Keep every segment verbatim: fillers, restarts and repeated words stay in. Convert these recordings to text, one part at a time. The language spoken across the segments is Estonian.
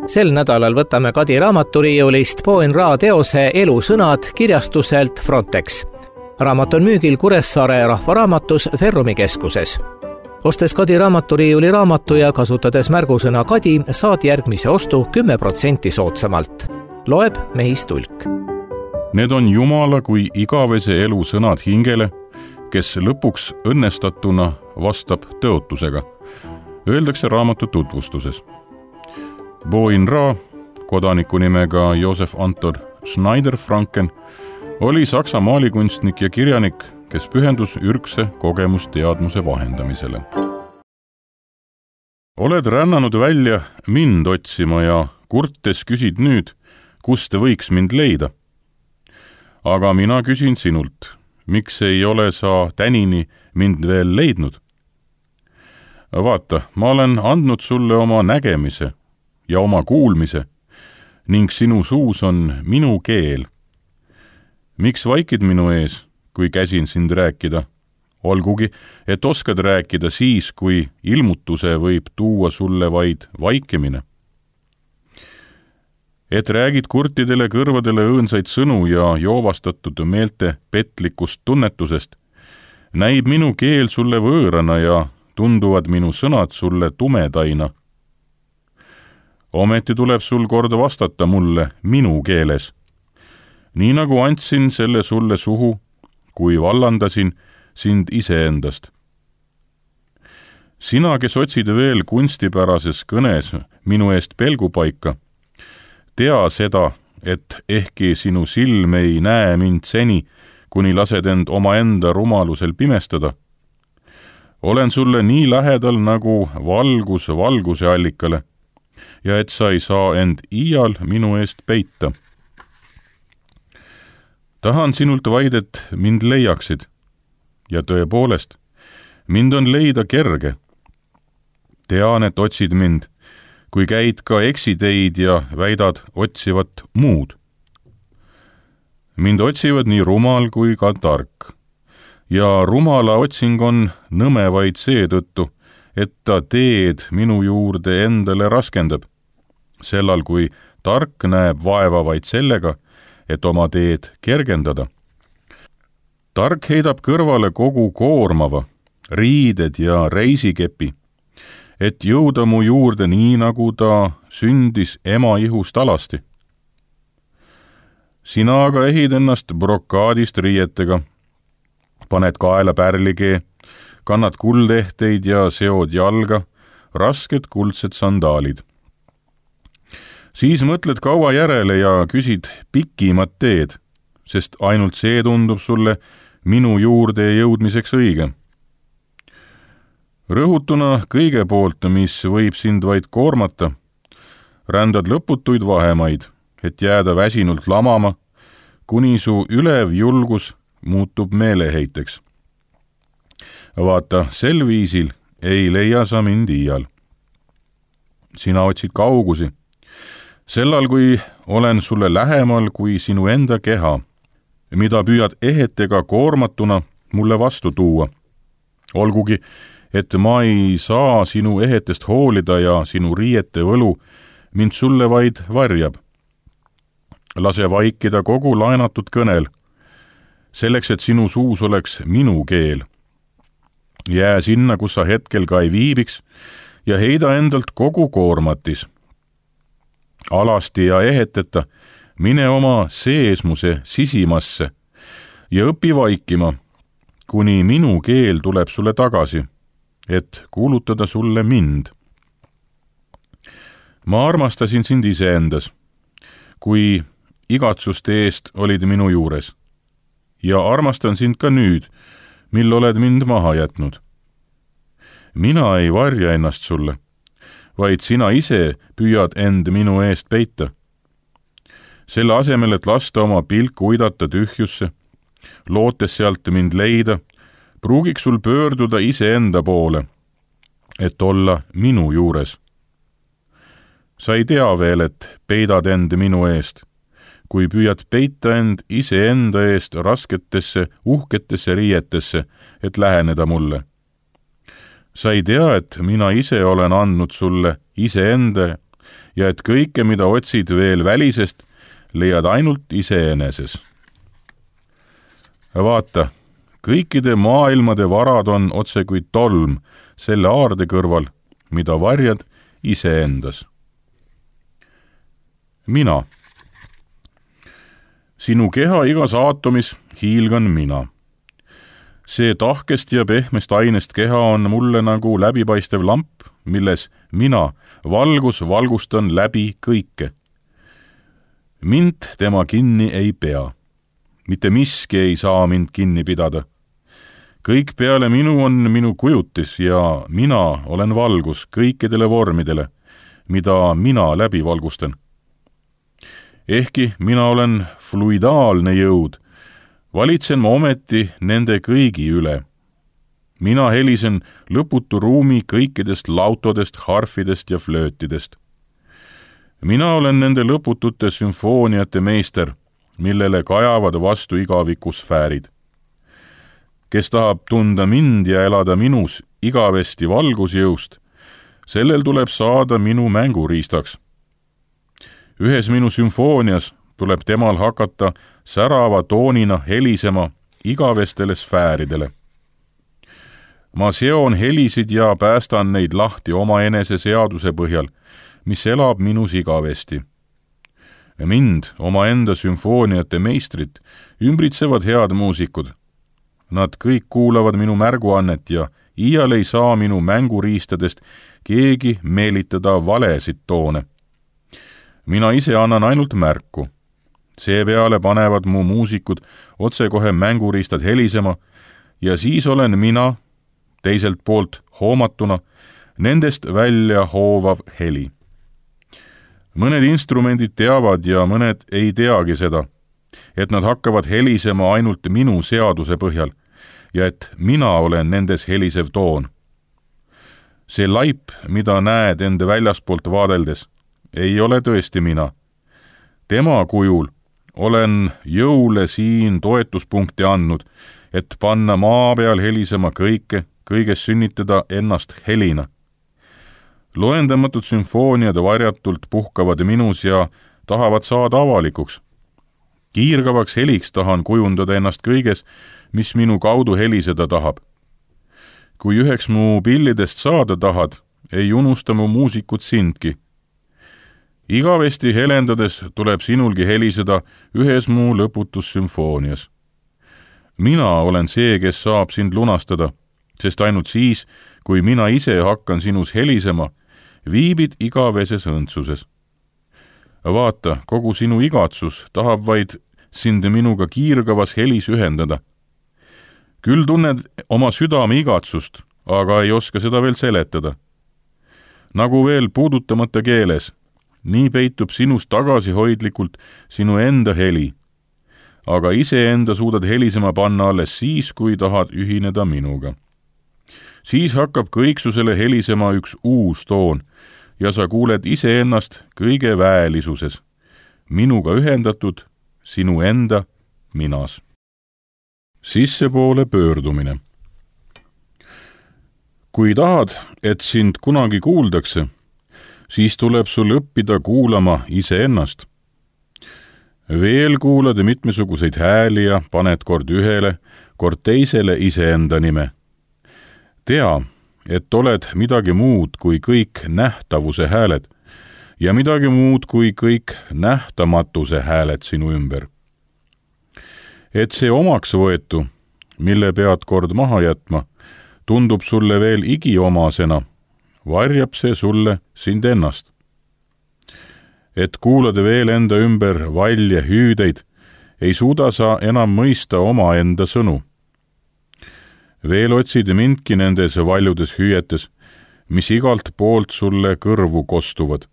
Sel nädalal võtame Kadi raamaturiiulist Boin Ra teose Elusõnad kirjastuselt Frontex. Raamat on müügil Kuressaare rahvaraamatus Ferrumi keskuses. Ostes Kadi raamaturiiuli raamatu ja kasutades märgusõna Kadi, saad järgmise ostu kümme protsenti soodsamalt. Loeb Mehis Tulk. Need on Jumala kui igavese elu sõnad hingele, kes lõpuks õnnestatuna vastab tõotusega. Öeldakse raamatu tutvustuses. Boin Ra, kodaniku nimega Josef Anton Schneider-Franken, oli Saksa maalikunstnik ja kirjanik, kes pühendus ürgse kogemusteadmuse vahendamisele. Oled rännanud välja mind otsima ja kurtes küsid nüüd, kust võiks mind leida. Aga mina küsin sinult, miks ei ole sa tänini mind veel leidnud? Vaata, ma olen andnud sulle oma nägemise ja oma kuulmise ning sinu suus on minu keel. Miks vaikid minu ees, kui käsin sind rääkida? Olgugi, et oskad rääkida siis, kui ilmutuse võib tuua sulle vaid vaikimine. Et räägid kurtidele kõrvadele õõnsaid sõnu ja joovastatud meelte petlikust tunnetusest, näib minu keel sulle võõrana ja tunduvad minu sõnad sulle tumedaina. Ometi tuleb sul kord vastata mulle minu keeles, nii nagu andsin selle sulle suhu, kui vallandasin sind iseendast. Sina, kes otsid veel kunstipärases kõnes minu eest pelgupaika, tea seda, et ehkki sinu silm ei näe mind seni, kuni lased end omaenda rumalusel pimestada, olen sulle nii lähedal nagu valgus valguse allikale, ja et sa ei saa end iial minu eest peita. Tahan sinult vaid, et mind leiaksid, ja tõepoolest, mind on leida kerge. Tean, et otsid mind, kui käid ka eksiteid ja väidad otsivat muud. Mind otsivad nii rumal kui ka tark, ja rumala otsing on nõme vaid seetõttu, et ta teed minu juurde endale raskendab, sellal kui tark näeb vaeva vaid sellega, et oma teed kergendada. Tark heidab kõrvale kogu koormava, riided ja reisikepi, et jõuda mu juurde nii, nagu ta sündis ema ihust alasti. Sina aga ehid ennast brokaadist riietega, paned kaela pärlikee, kannad kuldehteid ja seod jalga, rasked kuldsed sandaalid. Siis mõtled kaua järele ja küsid pikimat teed, sest ainult see tundub sulle minu juurde jõudmiseks õige. Rõhutuna kõige poolt, mis võib sind vaid koormata, rändad lõputuid vahemaid, et jääda väsinult lamama, kuni su ülev julgus muutub meeleheiteks. Vaata, sel viisil ei leia sa mind iial. Sina otsid kaugusi, sellal kui olen sulle lähemal kui sinu enda keha, mida püüad ehetega koormatuna mulle vastu tuua. Olgugi, et ma ei saa sinu ehetest hoolida ja sinu riiete võlu mind sulle vaid varjab. Lase vaikida kogu laenatud kõnel, selleks, et sinu suus oleks minu keel. Jää sinna, kus sa hetkel ka ei viibiks, ja heida endalt kogu koormatis. Alasti ja eheteta, mine oma seesmuse sisimasse ja õpi vaikima, kuni minu keel tuleb sulle tagasi, et kuulutada sulle mind. Ma armastasin sind iseendas, kui igatsuste eest olid minu juures, ja armastan sind ka nüüd, mil oled mind maha jätnud. Mina ei varja ennast sulle, vaid sina ise püüad end minu eest peita. Selle asemel, et lasta oma pilku uidata tühjusse, lootes sealt mind leida, pruugiks sul pöörduda iseenda poole, et olla minu juures. Sa ei tea veel, et peidad end minu eest, kui püüad peita end iseenda eest rasketesse, uhketesse riietesse, et läheneda mulle. Sa ei tea, et mina ise olen andnud sulle iseenda ja et kõike, mida otsid veel välisest, leiad ainult iseeneses. Vaata, kõikide maailmade varad on otse kui tolm selle aarde kõrval, mida varjad iseendas. Mina. Sinu keha igas aatomis hiilgan mina. See tahkest ja pehmest ainest keha on mulle nagu läbipaistev lamp, milles mina, valgus, valgustan läbi kõike. Mind tema kinni ei pea. Mitte miski ei saa mind kinni pidada. Kõik peale minu on minu kujutis ja mina olen valgus kõikidele vormidele, mida mina läbi valgustan. Ehkki mina olen fluidaalne jõud, valitsen ma ometi nende kõigi üle. Mina helisen lõputu ruumi kõikidest lautodest, harfidest ja flöötidest. Mina olen nende lõputute sümfooniate meister, millele kajavad vastu igavikusfäärid. Kes tahab tunda mind ja elada minus igavesti valgusjõust, sellel tuleb saada minu mänguriistaks. Ühes minu sümfoonias tuleb temal hakata särava toonina helisema igavestele sfääridele. Ma seon helisid ja päästan neid lahti oma enese seaduse põhjal, mis elab minus igavesti. Mind, oma enda sümfooniate meistrit, ümbritsevad head muusikud. Nad kõik kuulavad minu märguannet ja iial ei saa minu mänguriistadest keegi meelitada valesid toone. Mina ise annan ainult märku. Seepeale panevad mu muusikud otsekohe mänguriistad helisema ja siis olen mina, teiselt poolt hoomatuna, nendest välja hoovav heli. Mõned instrumendid teavad ja mõned ei teagi seda, et nad hakkavad helisema ainult minu seaduse põhjal ja et mina olen nendes helisev toon. See laip, mida näed enda väljaspoolt vaadeldes, ei ole tõesti mina. Tema kujul olen jõule siin toetuspunkti andnud, et panna maa peal helisema kõike, kõiges sünnitada ennast helina. Loendamatud sümfooniad varjatult puhkavad minus ja tahavad saada avalikuks. Kiirgavaks heliks tahan kujundada ennast kõiges, mis minu kaudu heliseda tahab. Kui üheks mu pillidest saada tahad, ei unusta mu muusikut sindki. Igavesti helendades tuleb sinulgi heliseda ühes mu lõputus sümfoonias. Mina olen see, kes saab sind lunastada, sest ainult siis, kui mina ise hakkan sinus helisema, viibid igaveses õndsuses. Vaata, kogu sinu igatsus tahab vaid sind minuga kiirgavas helis ühendada. Küll tunned oma südame igatsust, aga ei oska seda veel seletada. Nagu veel puudutamata keeles, nii peitub sinust tagasihoidlikult sinu enda heli, aga iseenda suudad helisema panna alles siis, kui tahad ühineda minuga. Siis hakkab kõiksusele helisema üks uus toon ja sa kuuled iseennast kõige väelisuses, minuga ühendatud sinu enda minas. Sissepoole pöördumine. Kui tahad, et sind kunagi kuuldakse, siis tuleb sul õppida kuulama iseennast. Veel kuulad mitmesuguseid hääli ja paned kord ühele, kord teisele iseenda nime. Tea, et oled midagi muud kui kõik nähtavuse hääled ja midagi muud kui kõik nähtamatuse hääled sinu ümber. Et see omaks võetu, mille pead kord maha jätma, tundub sulle veel igiomasena, varjab see sulle sind ennast. Et kuulad veel enda ümber valje hüüdeid, ei suuda sa enam mõista oma enda sõnu. Veel otsid mindki nendes valjudes hüüetes, mis igalt poolt sulle kõrvu kostuvad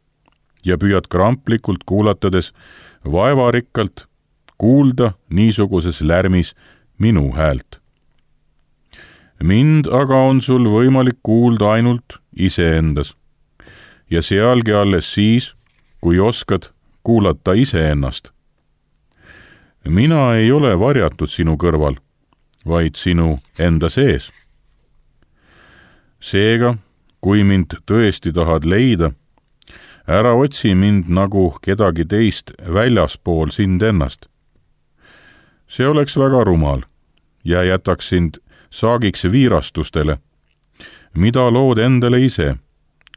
ja püüad kramplikult kuulatades vaevarikkalt kuulda niisuguses lärmis minu häält. Mind aga on sul võimalik kuulda ainult iseendas ja sealgi alles siis, kui oskad kuulata iseennast. Mina ei ole varjatud sinu kõrval, vaid sinu enda sees. Seega, kui mind tõesti tahad leida, ära otsi mind nagu kedagi teist väljaspool sind ennast. See oleks väga rumal ja jätaks sind saagiks viirastustele, mida lood endale ise,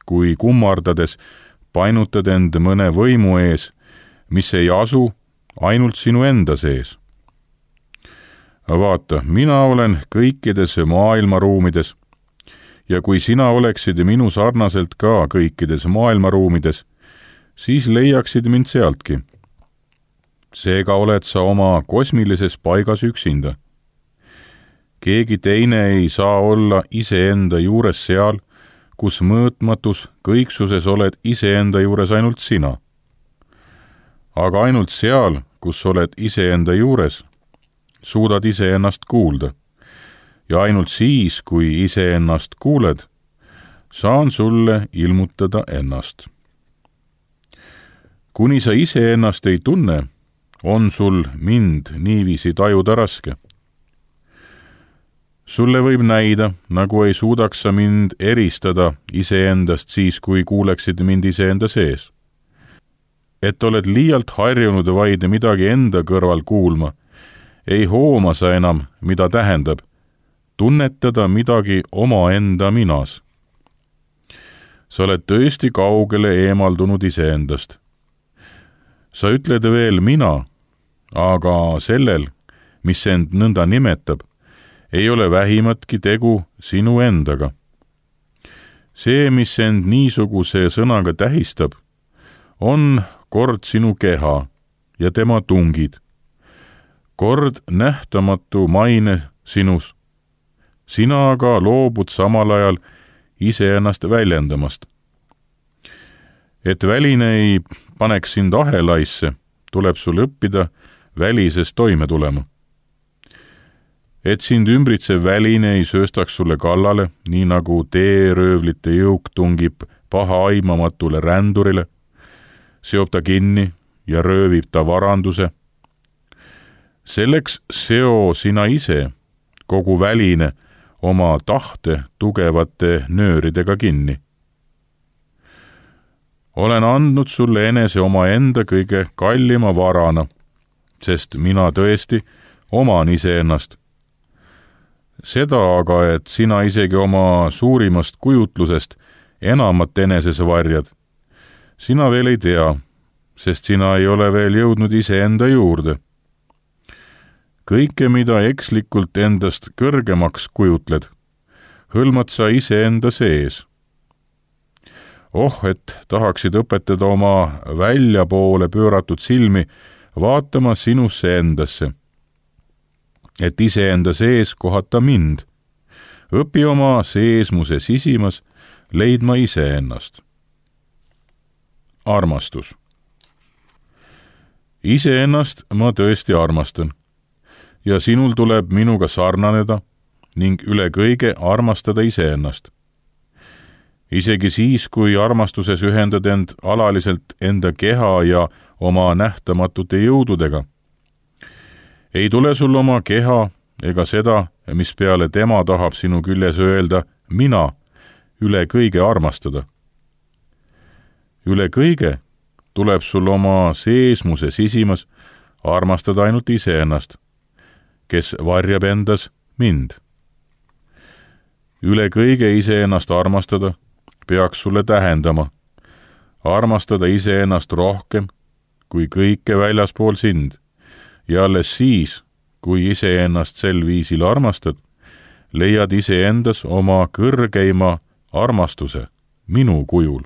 kui kummardades painutad end mõne võimu ees, mis ei asu ainult sinu enda sees. Vaata, mina olen kõikides maailmaruumides ja kui sina oleksid minu sarnaselt ka kõikides maailmaruumides, siis leiaksid mind sealtki. Seega oled sa oma kosmilises paigas üksinda. Keegi teine ei saa olla iseenda juures seal, kus mõõtmatus kõiksuses oled iseenda juures ainult sina. Aga ainult seal, kus oled iseenda juures, suudad iseennast kuulda. Ja ainult siis, kui iseennast kuuled, saan sulle ilmutada ennast. Kuni sa iseennast ei tunne, on sul mind niiviisi tajuda raske. Sulle võib näida, nagu ei suudaks sa mind eristada iseendast siis, kui kuuleksid mind iseenda sees. Et oled liialt harjunud vaid midagi enda kõrval kuulma, ei hooma sa enam, mida tähendab tunnetada midagi omaenda minas. Sa oled tõesti kaugele eemaldunud iseendast. Sa ütled veel mina, aga sellel, mis end nõnda nimetab, ei ole vähimatki tegu sinu endaga. See, mis end niisuguse sõnaga tähistab, on kord sinu keha ja tema tungid, kord nähtamatu maine sinus. Sina aga loobud samal ajal iseennast väljendamast. Et väline ei paneks sind ahelaisse, tuleb sul õppida välises toime tulema. Et sind ümbritsev väline ei sööstaks sulle kallale, nii nagu teeröövlite jõuk tungib paha aimamatule rändurile, seob ta kinni ja röövib ta varanduse. Selleks seo sina ise, kogu väline, oma tahte tugevate nööridega kinni. Olen andnud sulle enese oma enda kõige kallima varana, sest mina tõesti oman iseennast. Seda aga, et sina isegi oma suurimast kujutlusest enamat eneses varjad, sina veel ei tea, sest sina ei ole veel jõudnud iseenda juurde. Kõike, mida ekslikult endast kõrgemaks kujutled, hõlmad sa iseenda sees. Oh, et tahaksid õpetada oma väljapoole pööratud silmi vaatama sinusse endasse, et iseenda sees kohata mind. Õpi oma seesmuse sisimas leidma iseennast. Armastus. Iseennast ma tõesti armastan. Ja sinul tuleb minuga sarnaneda ning üle kõige armastada iseennast. Isegi siis, kui armastuses ühendad end alaliselt enda keha ja oma nähtamatute jõududega. Ei tule sul oma keha ega seda, mis peale tema tahab sinu küljes öelda, mina, üle kõige armastada. Üle kõige tuleb sul oma seesmuse sisimas armastada ainult iseennast, kes varjab endas mind. Üle kõige iseennast armastada peaks sulle tähendama, armastada iseennast rohkem kui kõike väljaspool sind, ja alles siis, kui iseennast sel viisil armastad, leiad iseendas oma kõrgeima armastuse minu kujul.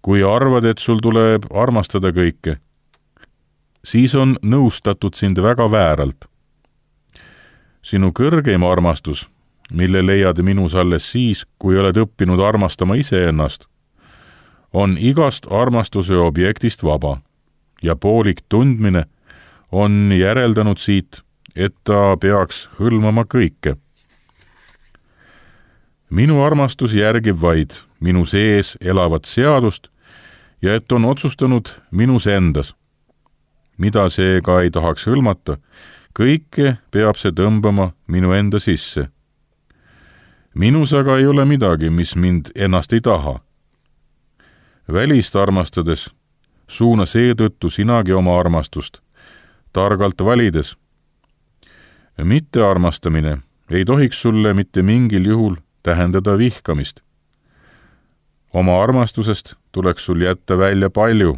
Kui arvad, et sul tuleb armastada kõike, siis on nõustatud sind väga vääralt. Sinu kõrgeim armastus, mille leiad minus alles siis, kui oled õppinud armastama iseennast, on igast armastuse objektist vaba ja poolik tundmine on järeldanud siit, et ta peaks hõlmama kõike. Minu armastus järgib vaid minu sees elavat seadust ja et on otsustanud minus endas, mida seega ei tahaks hõlmata, kõike peab see tõmbama minu enda sisse. Minus aga ei ole midagi, mis mind ennast ei taha. Välist armastades suuna seetõttu sinagi oma armastust, targalt valides. Mittearmastamine ei tohiks sulle mitte mingil juhul tähendada vihkamist. Oma armastusest tuleks sul jätta välja palju,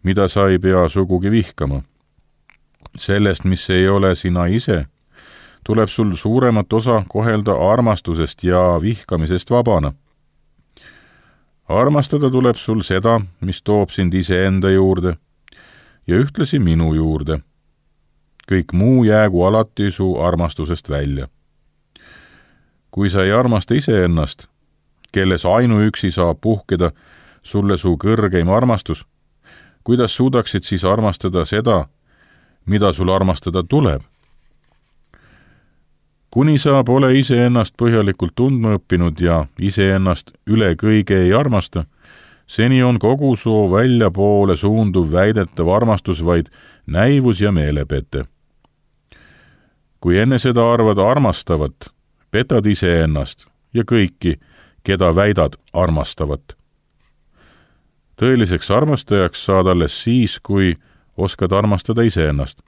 mida sa ei pea sugugi vihkama. Sellest, mis ei ole sina ise, tuleb sul suuremat osa kohelda armastusest ja vihkamisest vabana. Armastada tuleb sul seda, mis toob sind iseenda juurde ja ühtlasi minu juurde. Kõik muu jäägu alati su armastusest välja. Kui sa ei armasta iseennast, kelles ainuüksi saab puhkeda sulle su kõrgeim armastus, kuidas suudaksid siis armastada seda, mida sul armastada tuleb? Kuni sa pole iseennast põhjalikult tundma õppinud ja iseennast üle kõige ei armasta, seni on kogu su väljapoole suunduv väidetav armastus vaid näivus ja meelepete. Kui enne seda arvad armastavat, petad iseennast ja kõiki, keda väidad armastavat. Tõeliseks armastajaks saad alles siis, kui oskad armastada iseennast.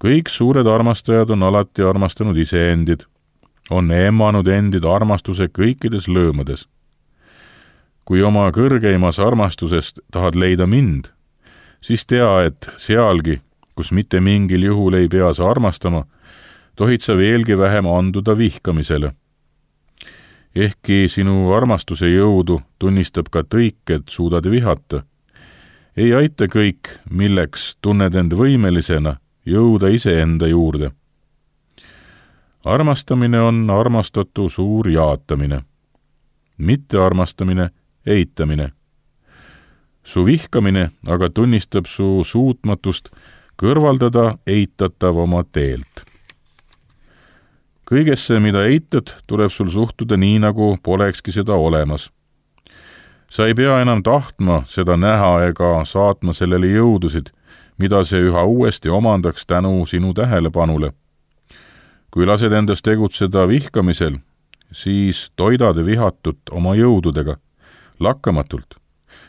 Kõik suured armastajad on alati armastanud iseendid, on emmanud endid armastuse kõikides lõõmades. Kui oma kõrgeimas armastusest tahad leida mind, siis tea, et sealgi, kus mitte mingil juhul ei pea sa armastama, tohid sa veelgi vähem anduda vihkamisele. Ehkki sinu armastuse jõudu tunnistab ka tõik, et suudad vihata, ei aita kõik, milleks tunned end võimelisena jõuda iseenda juurde. Armastamine on armastatu suur jaatamine, mitte armastamine eitamine. Su vihkamine aga tunnistab su suutmatust kõrvaldada eitatav oma teelt. Kõigesse, mida eitad, tuleb sul suhtuda nii, nagu polekski seda olemas. Sa ei pea enam tahtma seda näha ega saatma sellele jõudusid, mida see üha uuesti omandaks tänu sinu tähelepanule. Kui lased endast tegutseda vihkamisel, siis toidad vihatut oma jõududega, lakkamatult,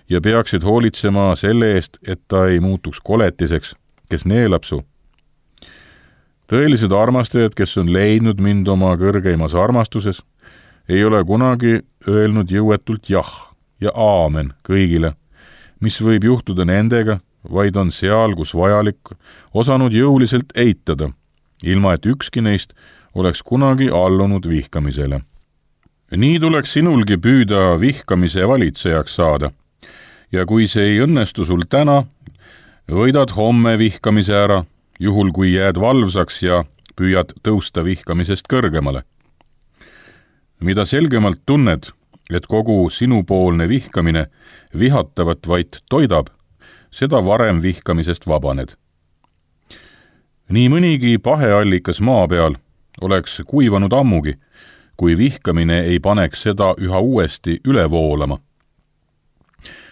ja peaksid hoolitsema selle eest, et ta ei muutuks koletiseks, kes neelab su. Tõelised armastajad, kes on leidnud mind oma kõrgeimas armastuses, ei ole kunagi öelnud jõuetult jah ja aamen kõigile, mis võib juhtuda nendega, vaid on seal, kus vajalik, osanud jõuliselt eitada, ilma et ükski neist oleks kunagi allunud vihkamisele. Nii tuleks sinulgi püüda vihkamise valitsejaks saada, ja kui see ei õnnestu sul täna, võidad homme vihkamise ära, juhul kui jääd valvsaks ja püüad tõusta vihkamisest kõrgemale. Mida selgemalt tunned, et kogu sinupoolne vihkamine vihatavat vaid toidab, seda varem vihkamisest vabaned. Nii mõnigi paheallikas maa peal oleks kuivanud ammugi, kui vihkamine ei paneks seda üha uuesti üle voolama.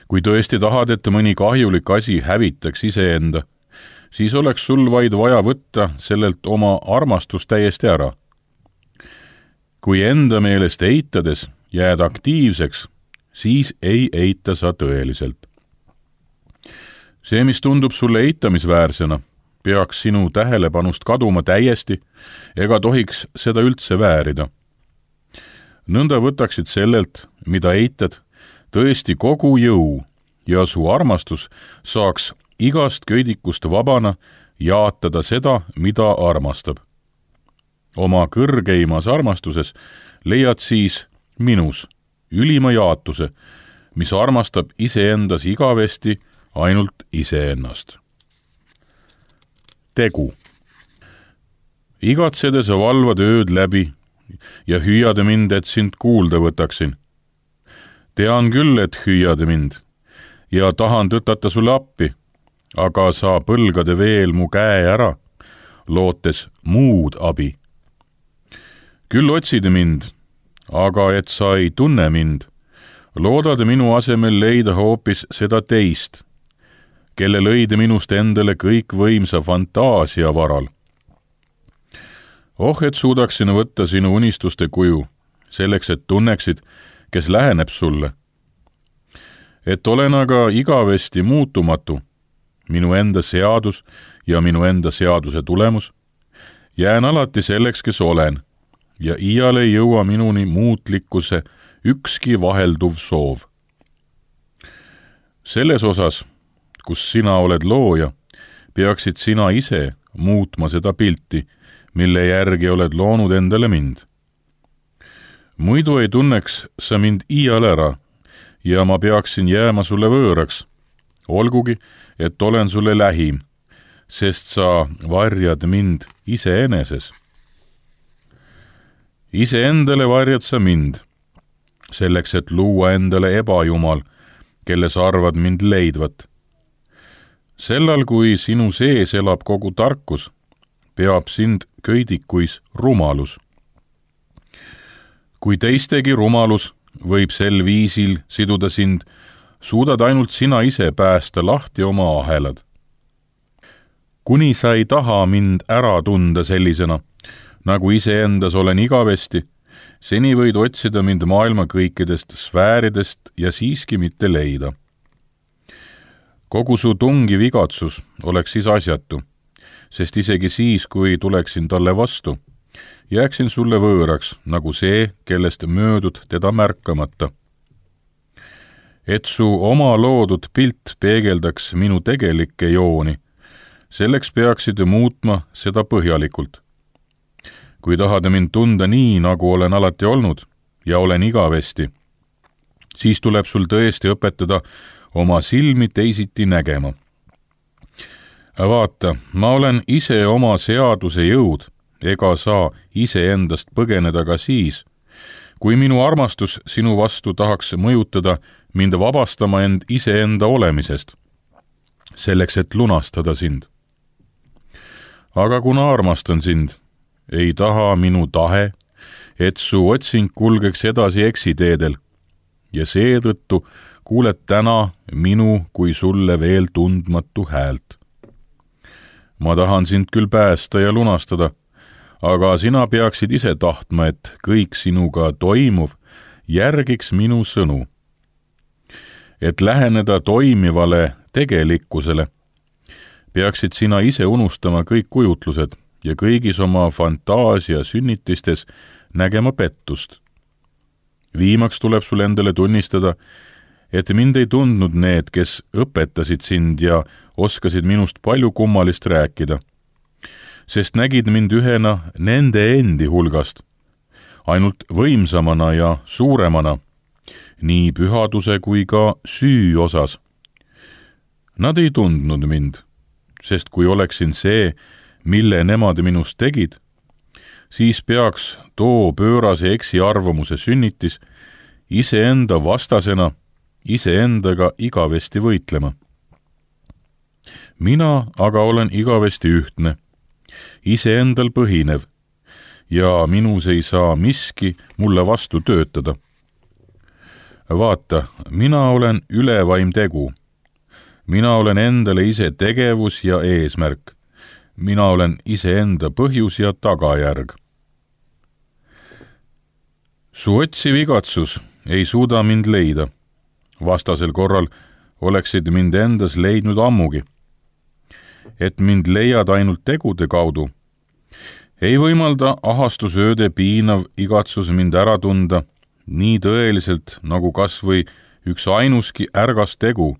Kui tõesti tahad, et mõni kahjulik asi hävitaks iseenda, siis oleks sul vaid vaja võtta sellelt oma armastus täiesti ära. Kui enda meelest eitades jääd aktiivseks, siis ei eita sa tõeliselt. See, mis tundub sulle eitamisväärsena, peaks sinu tähelepanust kaduma täiesti ega tohiks seda üldse väärida. Nõnda võtaksid sellelt, mida eitad, tõesti kogu jõu ja su armastus saaks igast köidikust vabana jaatada seda, mida armastab. Oma kõrgeimas armastuses leiad siis minus ülima jaatuse, mis armastab iseendas igavesti ainult iseennast. Tegu. Igatsede sa valvad ööd läbi ja hüüade mind, et sind kuulda võtaksin. Tean küll, et hüüade mind ja tahan tõtata sulle appi, aga sa põlgade veel mu käe ära, lootes muud abi. Küll otside mind, aga et sa ei tunne mind, loodad minu asemel leida hoopis seda teist, kelle lõide minust endale kõikvõimsa fantaasia varal. Oh, et suudaksin võtta sinu unistuste kuju, selleks, et tunneksid, kes läheneb sulle. et olen aga igavesti muutumatu, minu enda seadus ja minu enda seaduse tulemus, jään alati selleks, kes olen, ja iial ei jõua minuni muutlikkuse ükski vahelduv soov. Selles osas, kus sina oled looja, peaksid sina ise muutma seda pilti, mille järgi oled loonud endale mind. Muidu ei tunneks sa mind iial ära ja ma peaksin jääma sulle võõraks, olgugi, et olen sulle lähim, sest sa varjad mind iseeneses. Iseendale varjad sa mind, selleks, et luua endale ebajumal, kelles arvad mind leidvat. Sellal, kui sinu sees elab kogu tarkus, peab sind köidikuis rumalus. Kui teistegi rumalus võib sel viisil siduda sind, suudad ainult sina ise päästa lahti oma ahelad. Kuni sa ei taha mind ära tunda sellisena, nagu iseendas olen igavesti, seni võid otsida mind maailma kõikidest sfääridest ja siiski mitte leida. Kogu su tungiv igatsus oleks siis asjatu, sest isegi siis, kui tuleksin talle vastu, jääksin sulle võõraks, nagu see, kellest möödud teda märkamata. Et su oma loodud pilt peegeldaks minu tegelikke jooni, selleks peaksid muutma seda põhjalikult. Kui tahad mind tunda nii, nagu olen alati olnud ja olen igavesti, siis tuleb sul tõesti õpetada oma silmi teisiti nägema. Vaata, ma olen ise oma seaduse jõud, ega saa iseendast põgeneda ka siis, kui minu armastus sinu vastu tahaks mõjutada mind vabastama end iseenda olemisest, selleks, et lunastada sind. Aga kuna armastan sind, ei taha minu tahe, et su otsing kulgeks edasi eksiteedel, ja seetõttu kuuled täna minu kui sulle veel tundmatu häält. Ma tahan sind küll päästa ja lunastada, aga sina peaksid ise tahtma, et kõik sinuga toimuv järgiks minu sõnu. Et läheneda toimivale tegelikkusele, peaksid sina ise unustama kõik kujutlused ja kõigis oma fantaasia sünnitistes nägema pettust. Viimaks tuleb sul endale tunnistada, et mind ei tundnud need, kes õpetasid sind ja oskasid minust palju kummalist rääkida, sest nägid mind ühena nende endi hulgast, ainult võimsamana ja suuremana, nii pühaduse kui ka süü osas. Nad ei tundnud mind, sest kui oleksin see, mille nemad minust tegid, siis peaks too pöörase eksiarvamuse sünnitis iseenda vastasena iseendaga igavesti võitlema. Mina aga olen igavesti ühtne, iseendal põhinev, ja minus ei saa miski mulle vastu töötada. Vaata, mina olen ülevaim tegu. Mina olen endale ise tegevus ja eesmärk. Mina olen iseenda põhjus ja tagajärg. Su otsiv igatsus ei suuda mind leida. Vastasel korral oleksid mind endas leidnud ammugi. Et mind leiad ainult tegude kaudu, ei võimalda ahastusööde piinav igatsus mind ära tunda nii tõeliselt nagu kas või üks ainuski ärgas tegu,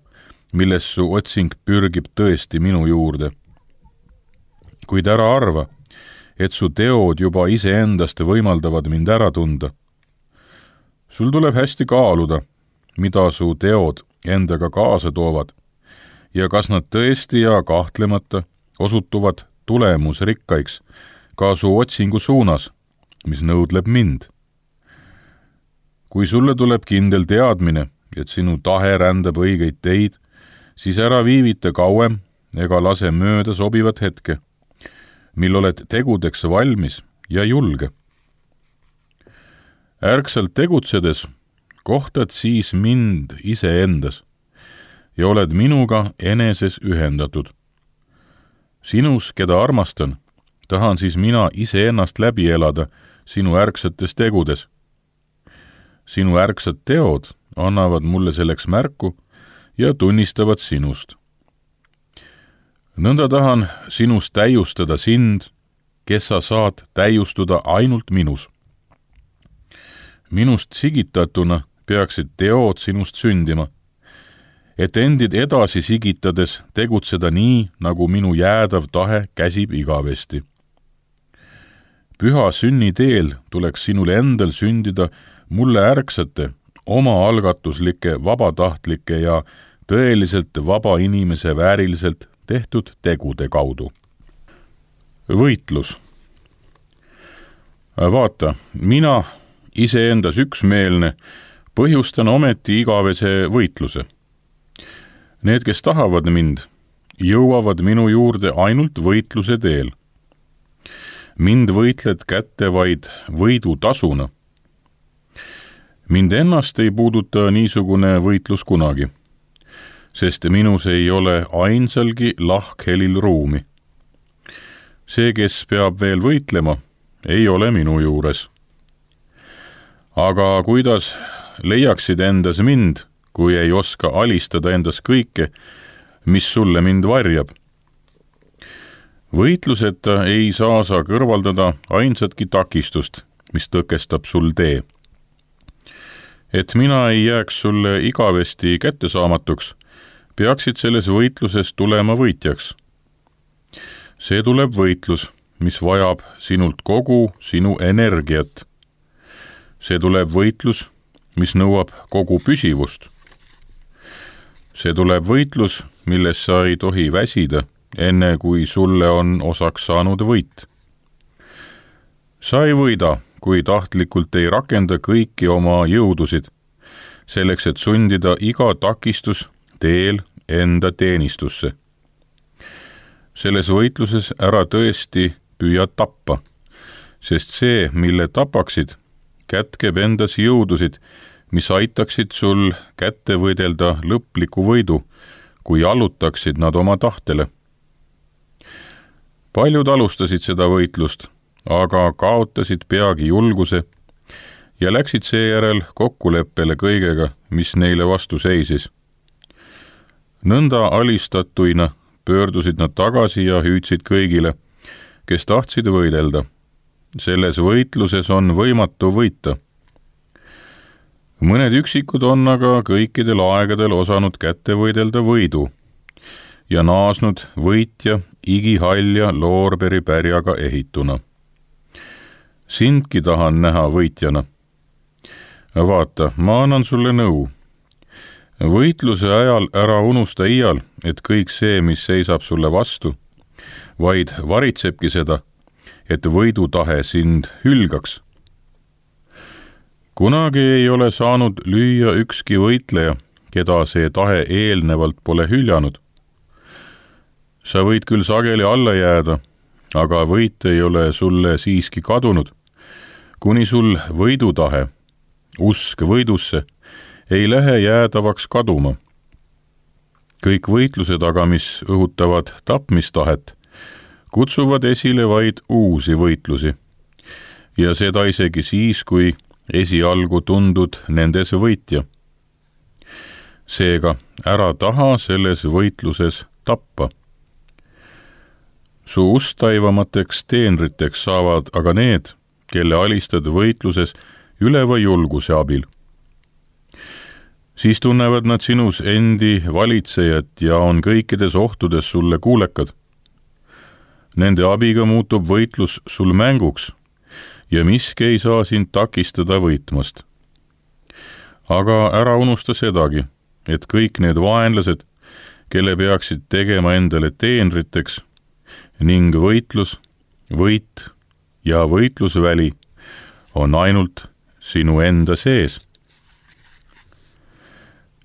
milles su otsing pürgib tõesti minu juurde. Kuid ära arva, et su teod juba iseendast võimaldavad mind ära tunda. Sul tuleb hästi kaaluda, mida su teod endaga kaasa toovad, ja kas nad tõesti ja kahtlemata osutuvad tulemusrikkaiks ka su otsingu suunas, mis nõudleb mind. Kui sulle tuleb kindel teadmine, et sinu tahe rändab õigeid teid, siis ära viivita kauem ega lase mööda sobivat hetke, mil oled tegudeks valmis ja julge. Ärksalt tegutsedes kohtad siis mind iseendas ja oled minuga eneses ühendatud. Sinus, keda armastan, tahan siis mina iseennast läbi elada sinu ärksates tegudes. Sinu ärksad teod annavad mulle selleks märku, ja tunnistavad sinust. Nõnda tahan sinust täiustada sind, kes sa saad täiustuda ainult minus. Minust sigitatuna peaksid teod sinust sündima, et endid edasi sigitades tegutseda nii, nagu minu jäädav tahe käsib igavesti. Püha sünni teel tuleks sinul endal sündida mulle ärksate, omaalgatuslike, vabatahtlike ja tõeliselt vaba inimese vääriliselt tehtud tegude kaudu. Võitlus. Vaata, mina iseendas üksmeelne põhjustan ometi igavese võitluse. Need, kes tahavad mind, jõuavad minu juurde ainult võitluse teel. Mind võitled kätte vaid võidu tasuna. Mind ennast ei puuduta niisugune võitlus kunagi, sest minus ei ole ainsalgi lahkhelil ruumi. See, kes peab veel võitlema, ei ole minu juures. Aga kuidas leiaksid endas mind, kui ei oska alistada endas kõike, mis sulle mind varjab? Võitluseta ei saa sa kõrvaldada ainsatki takistust, mis tõkestab sul tee. Et mina ei jääks sulle igavesti kättesaamatuks, peaksid selles võitluses tulema võitjaks. See tuleb võitlus, mis vajab sinult kogu sinu energiat. See tuleb võitlus, mis nõuab kogu püsivust. See tuleb võitlus, milles sa ei tohi väsida, enne kui sulle on osaks saanud võit. Sa ei võida, kui tahtlikult ei rakenda kõiki oma jõudusid, selleks et sundida iga takistus teel enda teenistusse. Selles võitluses ära tõesti püüa tappa, sest see, mille tapaksid, kätkeb endas jõudusid, mis aitaksid sul kätte võidelda lõpliku võidu, kui allutaksid nad oma tahtele. Paljud alustasid seda võitlust, aga kaotasid peagi julguse ja läksid seejärel kokkuleppele kõigega, mis neile vastu seisis. Nõnda alistatuina pöördusid nad tagasi ja hüüdsid kõigile, kes tahtsid võidelda. Selles võitluses on võimatu võita. Mõned üksikud on aga kõikidel aegadel osanud kätte võidelda võidu ja naasnud võitja igihalja loorberi pärjaga ehituna. Sindki tahan näha võitjana. Vaata, ma annan sulle nõu. Võitluse ajal ära unusta iial, et kõik see, mis seisab sulle vastu, vaid varitsebki seda, et võidutahe sind hülgaks. Kunagi ei ole saanud lüüa ükski võitleja, keda see tahe eelnevalt pole hüljanud. Sa võid küll sageli alla jääda, aga võit ei ole sulle siiski kadunud, kuni sul võidutahe, usk võidusse, ei lähe jäädavaks kaduma. Kõik võitlused aga, mis õhutavad tapmistahet, kutsuvad esile vaid uusi võitlusi ja seda isegi siis, kui esialgu tundud nendes võitja. Seega ära taha selles võitluses tappa. Su usttaivamateks teenriteks saavad aga need, kelle alistad võitluses üleva julguse abil. Siis tunnevad nad sinus endi valitsejat ja on kõikides ohtudes sulle kuulekad. Nende abiga muutub võitlus sul mänguks ja miski ei saa sind takistada võitmast. Aga ära unusta sedagi, et kõik need vaenlased, kelle peaksid tegema endale teenriteks, ning võitlus, võit ja võitlusväli on ainult sinu enda sees.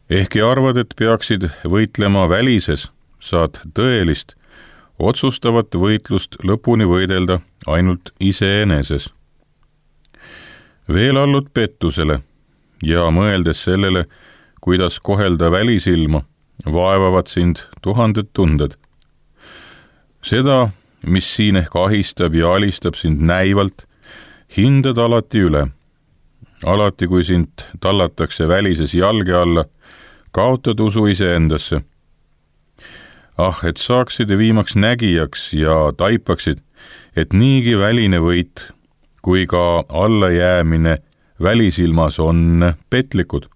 Ehkki arvad, et peaksid võitlema välises, saad tõelist, otsustavat võitlust lõpuni võidelda ainult iseeneses. Veel allud pettusele ja mõeldes sellele, kuidas kohelda välisilma, vaevavad sind tuhanded tunded. Seda, mis siin ehk ahistab ja alistab sind näivalt, hindad alati üle. Alati, kui sind tallatakse välises jalge alla, kaotad usu iseendasse. Ah, et saaksid viimaks nägijaks ja taipaksid, et niigi väline võit kui ka allajäämine välisilmas on petlikud.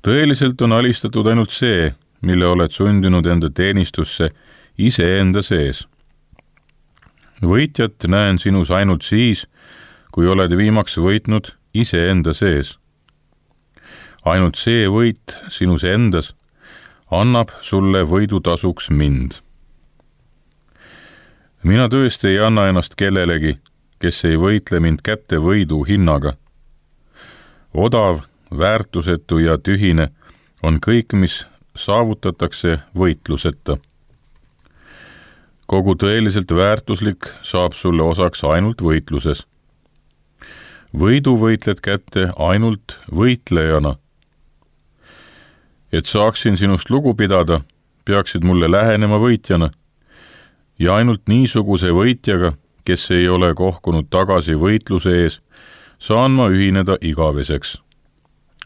Tõeliselt on alistatud ainult see, mille oled sundinud enda teenistusse iseenda sees. Võitjat näen sinus ainult siis, kui oled viimaks võitnud iseenda sees. Ainult see võit sinus endas annab sulle võidutasuks mind. Mina tõesti ei anna ennast kellelegi, kes ei võitle mind kätte võidu hinnaga. Odav, väärtusetu ja tühine on kõik, mis saavutatakse võitluseta. Kogu tõeliselt väärtuslik saab sulle osaks ainult võitluses. Võidu võitled kätte ainult võitlejana. Et saaksin sinust lugu pidada, peaksid mulle lähenema võitjana ja ainult niisuguse võitjaga, kes ei ole kohkunud tagasi võitluse ees, saan ma ühineda igaveseks.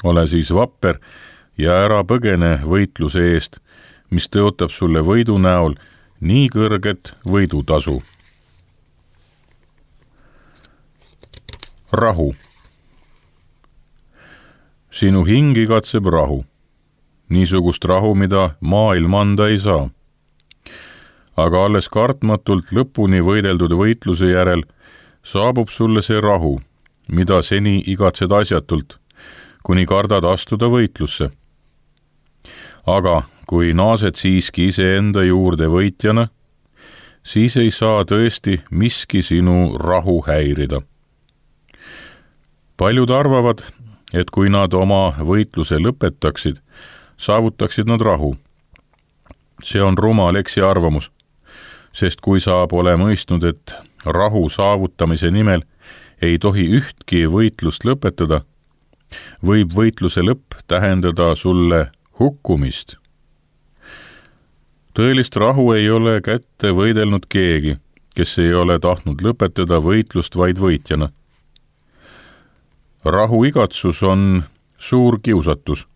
Ole siis vapper ja ära põgene võitluse eest, mis tõotab sulle võidu näol nii kõrget võidutasu. Rahu. Sinu hing igatseb rahu. Niisugust rahu, mida maailm anda ei saa. Aga alles kartmatult lõpuni võideldud võitluse järel saabub sulle see rahu, mida seni igatsed asjatult, kuni kardad astuda võitlusse. Aga kui naased siiski iseenda juurde võitjana, siis ei saa tõesti miski sinu rahu häirida. Paljud arvavad, et kui nad oma võitluse lõpetaksid, saavutaksid nad rahu. See on rumal eksiarvamus, sest kui sa pole mõistnud, et rahu saavutamise nimel ei tohi ühtki võitlust lõpetada, võib võitluse lõpp tähendada sulle hukkumist. Tõelist rahu ei ole kätte võidelnud keegi, kes ei ole tahtnud lõpetada võitlust vaid võitjana. Rahu igatsus on suur kiusatus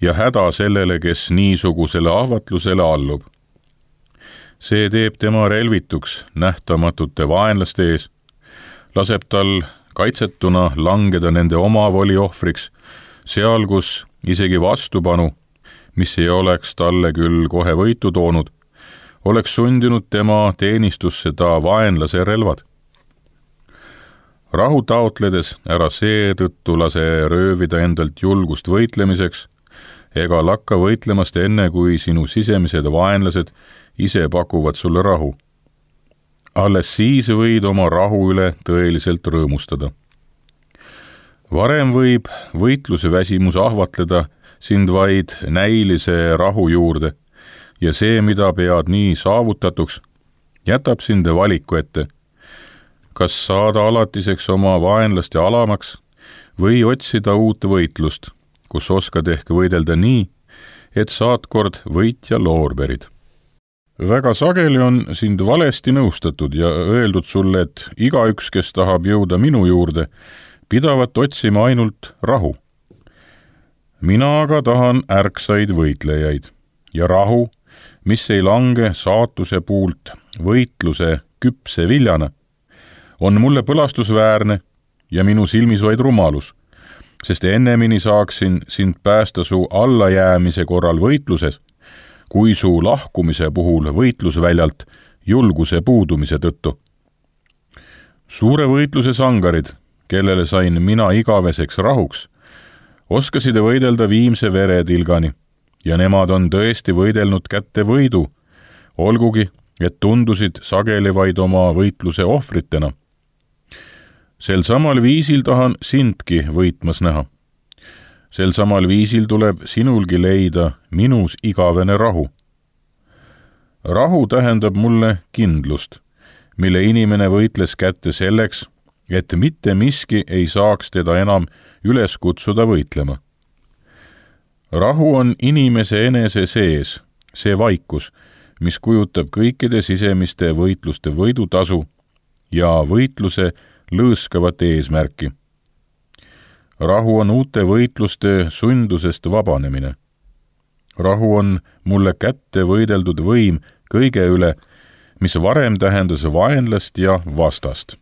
ja häda sellele, kes niisugusele ahvatlusele allub. See teeb tema relvituks nähtamatute vaenlaste ees, laseb tal kaitsetuna langeda nende omavoli ohvriks, seal kus isegi vastupanu, mis ei oleks talle küll kohe võitu toonud, oleks sundinud tema teenistusse ta vaenlase relvad. Rahu taotledes ära seetõttu lase röövida endalt julgust võitlemiseks, ega lakka võitlemast enne, kui sinu sisemised vaenlased ise pakuvad sulle rahu. Alles siis võid oma rahu üle tõeliselt rõõmustada. Varem võib võitluse väsimus ahvatleda sind vaid näilise rahu juurde ja see, mida pead nii saavutatuks, jätab sind valiku ette, kas saada alatiseks oma vaenlaste alamaks või otsida uut võitlust, kus oskad ehk võidelda nii, et saad kord võitja loorberid. Väga sageli on sind valesti nõustatud ja öeldud sulle, et igaüks, kes tahab jõuda minu juurde, pidavat otsima ainult rahu. Mina aga tahan ärksaid võitlejaid ja rahu, mis ei lange saatuse puult võitluse küpse viljana, on mulle põlastusväärne ja minu silmis vaid rumalus, sest ennemini saaksin sind päästa su allajäämise korral võitluses, kui su lahkumise puhul võitlusväljalt julguse puudumise tõttu. Suure võitluse sangarid, kellele sain mina igaveseks rahuks, oskasid võidelda viimse veretilgani ja nemad on tõesti võidelnud kätte võidu, olgugi, et tundusid sageli vaid oma võitluse ohvritena. Sel samal viisil tahan sindki võitmas näha. Sel samal viisil tuleb sinulgi leida minus igavene rahu. Rahu tähendab mulle kindlust, mille inimene võitles kätte selleks, et mitte miski ei saaks teda enam üles kutsuda võitlema. Rahu on inimese enese sees, see vaikus, mis kujutab kõikide sisemiste võitluste võidutasu ja võitluse lõõskavat eesmärki. rahu on uute võitluste sundusest vabanemine. Rahu on mulle kätte võideldud võim kõige üle, mis varem tähendas vaenlast ja vastast.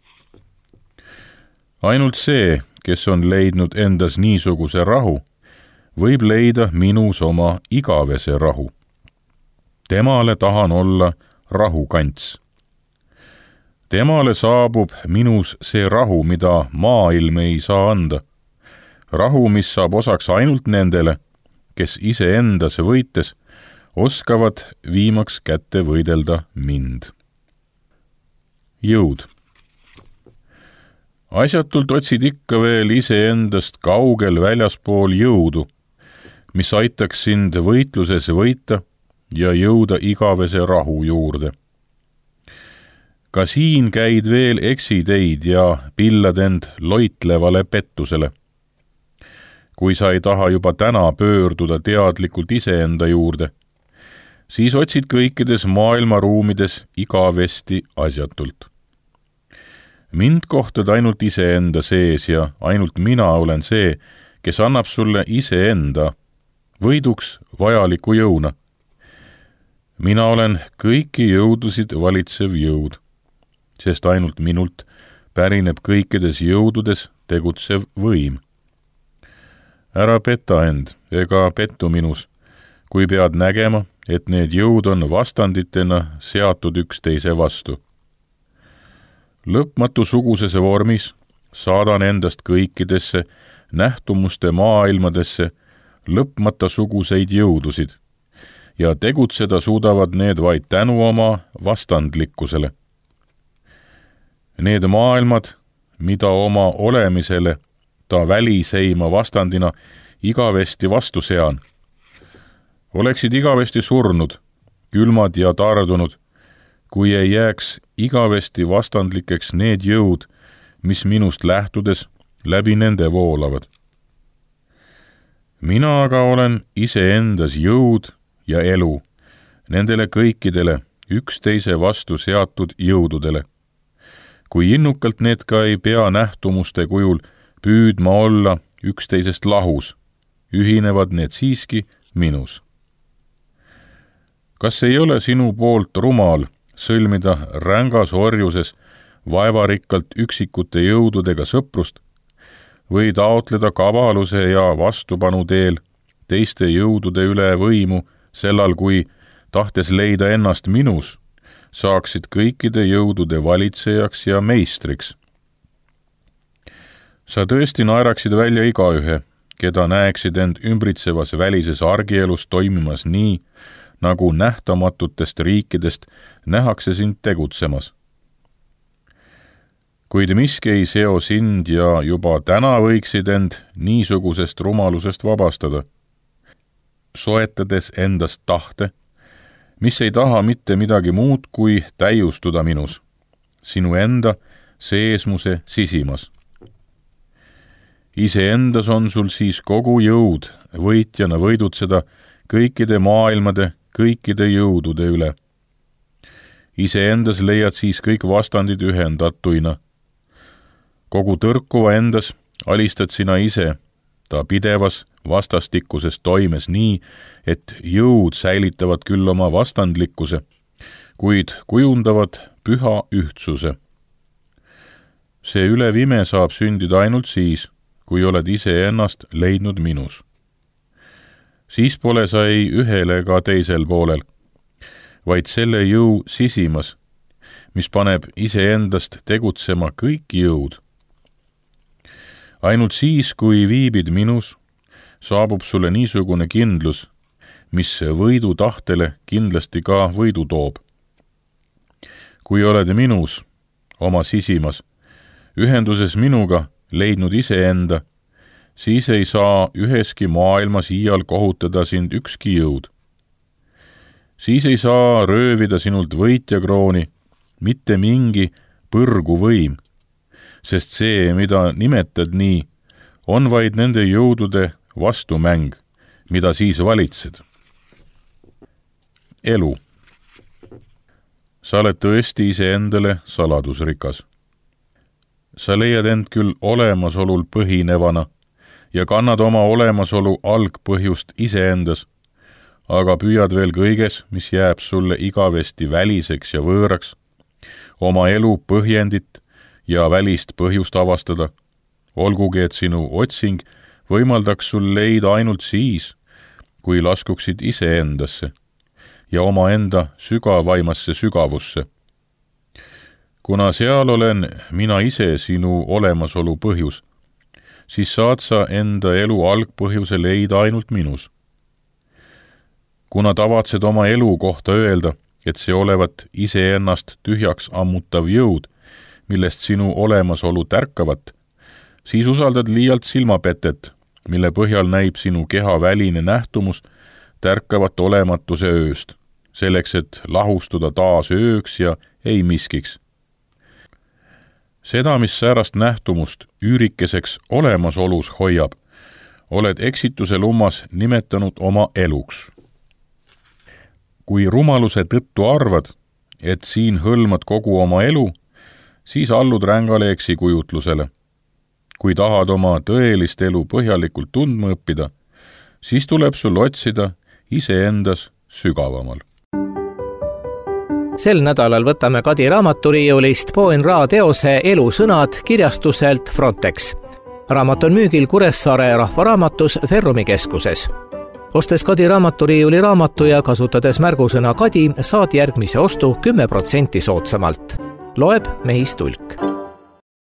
Ainult see, kes on leidnud endas niisuguse rahu, võib leida minus oma igavese rahu. Temale tahan olla rahukants. Temale saabub minus see rahu, mida maailm ei saa anda. Rahu, mis saab osaks ainult nendele, kes iseendas võites oskavad viimaks kätte võidelda mind. Jõud. Asjatult otsid ikka veel iseendast kaugel väljaspool jõudu, mis aitaks sind võitluses võita ja jõuda igavese rahu juurde. Ka siin käid veel eksiteid ja pillad end loitlevale pettusele. Kui sa ei taha juba täna pöörduda teadlikult iseenda juurde, siis otsid kõikides maailmaruumides igavesti asjatult. Mind kohtad ainult iseenda sees ja ainult mina olen see, kes annab sulle iseenda võiduks vajaliku jõuna. Mina olen kõiki jõudusid valitsev jõud, sest ainult minult pärineb kõikides jõududes tegutsev võim. Ära peta end ega pettu minus, kui pead nägema, et need jõud on vastanditena seatud üksteise vastu. Lõpmatu sugusese vormis saadan endast kõikidesse nähtumuste maailmadesse lõpmata suguseid jõudusid ja tegutseda suudavad need vaid tänu oma vastandlikkusele. Need maailmad, mida oma olemisele ta väliseima vastandina igavesti vastu sean, oleksid igavesti surnud, külmad ja tardunud, kui ei jääks igavesti vastandlikeks need jõud, mis minust lähtudes läbi nende voolavad. Mina aga olen iseendas jõud ja elu nendele kõikidele üksteise vastu seatud jõududele. Kui innukalt need ka ei pea nähtumuste kujul püüdma olla üksteisest lahus, ühinevad need siiski minus. Kas ei ole sinu poolt rumal sõlmida rängas orjuses vaevarikkalt üksikute jõududega sõprust või taotleda kavaluse ja vastupanu teel teiste jõudude üle võimu sellal, kui, tahtes leida ennast minus, saaksid kõikide jõudude valitsejaks ja meistriks? Sa tõesti naeraksid välja igaühe, keda näeksid end ümbritsevas välises argielus toimimas nii, nagu nähtamatutest riikidest nähakse sind tegutsemas. Kuid miski ei seo sind ja juba täna võiksid end niisugusest rumalusest vabastada, soetades endast tahte, mis ei taha mitte midagi muud kui täiustuda minus, sinu enda seesmuse sisimas. Iseendas on sul siis kogu jõud võitjana võidutseda kõikide maailmade, kõikide jõudude üle. Iseendas leiad siis kõik vastandid ühendatuina. Kogu tõrkuva endas alistad sina ise, ta pidevas vastastikuses toimes nii, et jõud säilitavad küll oma vastandlikkuse, kuid kujundavad püha ühtsuse. See ülevime saab sündida ainult siis, kui oled ise ennast leidnud minus. Siis pole sa ei ühel ega teisel poolel, vaid selle jõu sisimas, mis paneb iseendast tegutsema kõik jõud. Ainult siis, kui viibid minus, saabub sulle niisugune kindlus, mis võidu tahtele kindlasti ka võidu toob. Kui oled minus, oma sisimas, ühenduses minuga leidnud iseenda, siis ei saa üheski maailmas iial kohutada sind ükski jõud. Siis ei saa röövida sinult võitjakrooni mitte mingi põrgu võim, sest see, mida nimetad nii, on vaid nende jõudude vastumäng, mida siis valitsed. Elu. Sa oled tõesti iseendale saladusrikas. Sa leiad end küll olemasolul põhinevana, ja kannad oma olemasolu algpõhjust iseendas, aga püüad veel kõiges, mis jääb sulle igavesti väliseks ja võõraks, oma elu põhjendit ja välist põhjust avastada, olgugi et sinu otsing võimaldaks sul leida ainult siis, kui laskuksid iseendasse ja omaenda sügavaimasse sügavusse. Kuna seal olen mina ise sinu olemasolu põhjus, siis saad sa enda elu algpõhjuse leida ainult minus. Kuna tavatsed oma elu kohta öelda, et see olevat iseennast tühjaks ammutav jõud, millest sinu olemasolu tärkavat, siis usaldad liialt silmapetet, mille põhjal näib sinu keha väline nähtumus tärkavat olematuse ööst, selleks et lahustuda taas ööks ja ei miskiks. Seda, mis säärast nähtumust üürikeseks olemasolus hoiab, oled eksituse lummas nimetanud oma eluks. Kui rumaluse tõttu arvad, et siin hõlmad kogu oma elu, siis allud rängale eksikujutlusele. Kui tahad oma tõelist elu põhjalikult tundma õppida, siis tuleb sul otsida iseendas sügavamal. Sel nädalal võtame Kadi raamaturiiulist Poen Ra teose Elusõnad kirjastuselt Frontex. Raamat on müügil Kuressaare rahvaraamatus Ferrumi keskuses. Ostes Kadi raamaturiiuli raamatu ja kasutades märgusõna Kadi, saad järgmise ostu kümme protsenti soodsamalt. Loeb Mehis Tulk.